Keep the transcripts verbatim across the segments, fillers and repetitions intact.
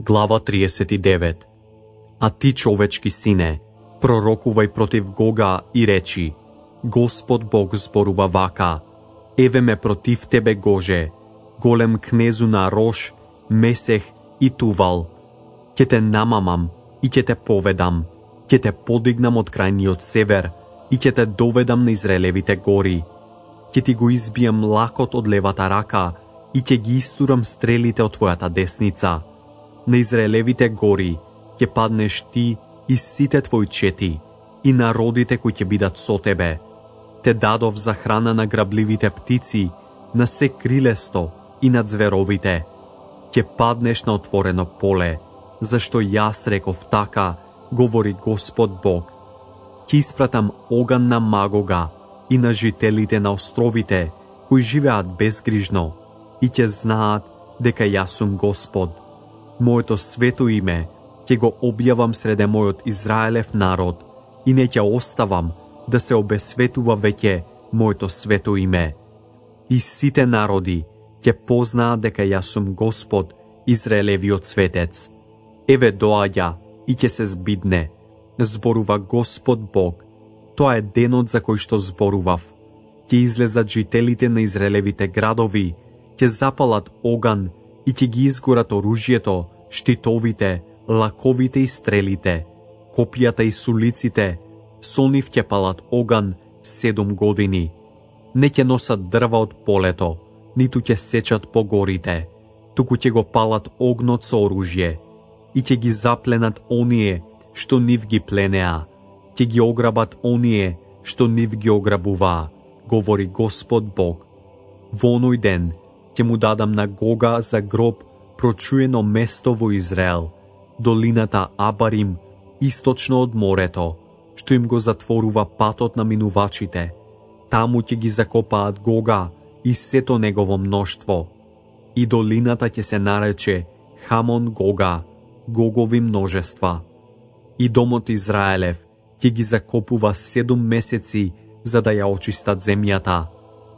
Глава триесет и девет. А ти, човечки сине, пророкувај против Гога и речи: Господ Бог зборува вака: еве ме против тебе, Гоже, голем кнезу на Рош, Месех и Тувал. Ќе те намамам и ќе те поведам, ќе те подигнам од крајниот север и ќе те доведам на Израелевите гори. Ќе ти го избијам лакот од левата рака и ќе ги истурам стрелите од твојата десница. На Израелевите гори ќе паднеш ти и сите твои чети и народите кои ќе бидат со тебе. Те дадов за храна на грабливите птици, на се крилесто и на зверовите. Ќе паднеш на отворено поле, зашто јас реков така, говори Господ Бог. Ќе испратам оган на Магога и на жителите на островите, кои живеат безгрижно, и ќе знаат дека јас сум Господ. Моето свето име ќе го објавам среде мојот Израелев народ и не ќе оставам да се обесветува веќе моето свето име. И сите народи ќе познаат дека јас сум Господ, Израелевиот светец. Еве доаѓа и ќе се збидне, зборува Господ Бог. Тоа е денот за кој што зборував. Ќе излезат жителите на Израелевите градови, ќе запалат оган и ќе ги изгорат оружјето, штитовите, лаковите и стрелите, копијата и сулиците. Со нив ќе палат оган седум години. Не ќе носат дрва од полето, ниту ќе сечат по горите, туку ќе го палат огнот со оружје и ќе ги запленат оние што нив ги пленеа, ќе ги ограбат оние што нив ги ограбуваа, говори Господ Бог. Во оној ден ќе му дадам на Гога за гроб прочуено место во Израел, долината Абарим, источно од морето, што им го затворува патот на минувачите. Таму ќе ги закопаат Гога и сето негово мноштво. И долината ќе се нарече Хамон Гога, Гогови множества. И домот Израелев ќе ги закопува седум месеци за да ја очистат земјата.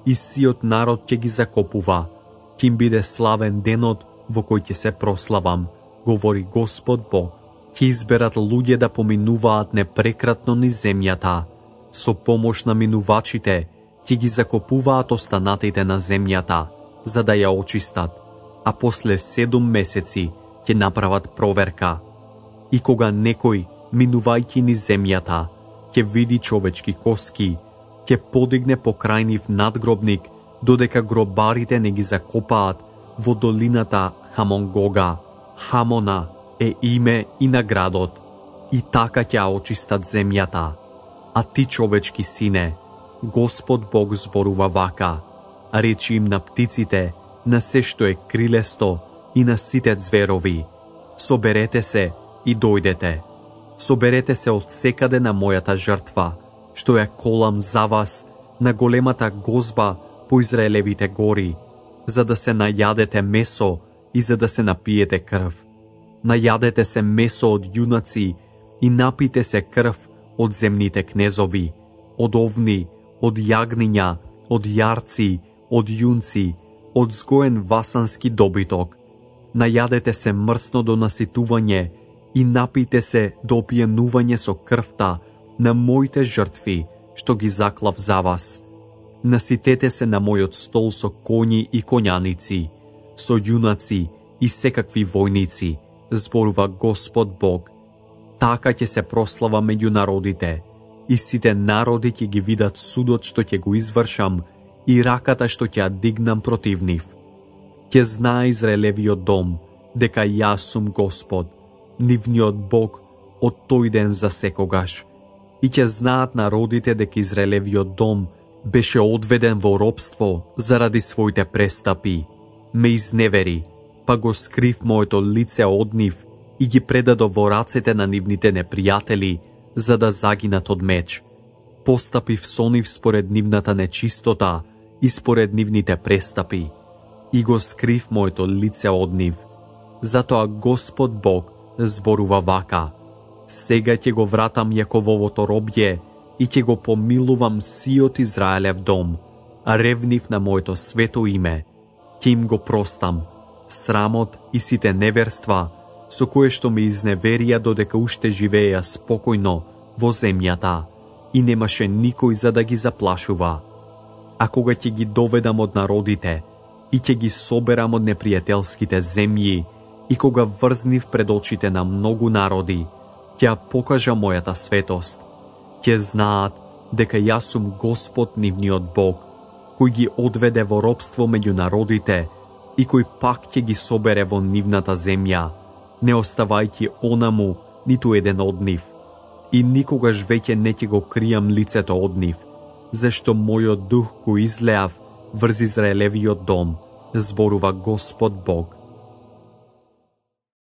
И сиот народ ќе ги закопува. Ќе им биде славен денот во кој ќе се прославам, говори Господ Бог. Ќе изберат луѓе да поминуваат непрекратно низ земјата. Со помош на минувачите ќе ги закопуваат останатите на земјата, за да ја очистат, а после седум месеци ќе направат проверка. И кога некој, минувајќи низ земјата, ќе види човечки коски, ќе подигне покрај нив надгробник, додека гробарите не ги закопаат во долината Хамон Гога. Хамона е име и на градот, и така ќе очистат земјата. А ти, човечки сине, Господ Бог зборува вака: речи им на птиците, на се што е крилесто и на сите зверови: соберете се и дојдете. Соберете се од секаде на мојата жртва, што ја колам за вас на големата гозба по Израелевите гори, за да се најадете месо и за да се напиете крв. Најадете се месо од јунаци и напите се крв од земните кнезови, од овни, од јагниња, од јарци, од јунци, од згоен васански добиток. Најадете се мрсно до наситување и напите се до опијанување со крвта на моите жртви, што ги заклав за вас. Наситете се на мојот стол со коњи и коњаници, со јунаци и секакви војници, зборува Господ Бог. Така ќе се прослава меѓу народите, и сите народи ќе ги видат судот што ќе го извршам и раката што ќе ја дигнам против нив. Ќе знае Израелевиот дом дека јас сум Господ, нивниот Бог од тој ден за секогаш. И ќе знаат народите дека Израелевиот дом беше одведен во робство заради своите престапи. Ме изневери, па го скрив моето лице од нив и ги предадов во рацете на нивните непријатели, за да загинат од меч. Постапив со нив според нивната нечистота и според нивните престапи, и го скрив моето лице од нив. Затоа Господ Бог зборува вака: сега ќе го вратам Јакововото робје и ќе го помилувам сиот Израелев дом, а ревнив на моето свето име, ќе им го простам, срамот и сите неверства со кое што ме изневерија додека уште живееја спокојно во земјата и немаше никој за да ги заплашува. А кога ќе ги доведам од народите и ќе ги соберам од непријателските земји и кога врзнив пред очите на многу народи, ќе ја покажа мојата светост. Ќе знаат дека јас сум Господ нивниот Бог, кој ги одведе во робство меѓу народите и кој пак ќе ги собере во нивната земја, не оставајќи онаму ниту еден од нив. И никогаш веќе не ќе го кријам лицето од нив, зашто мојот дух го излеав врз Израелевиот дом, зборува Господ Бог.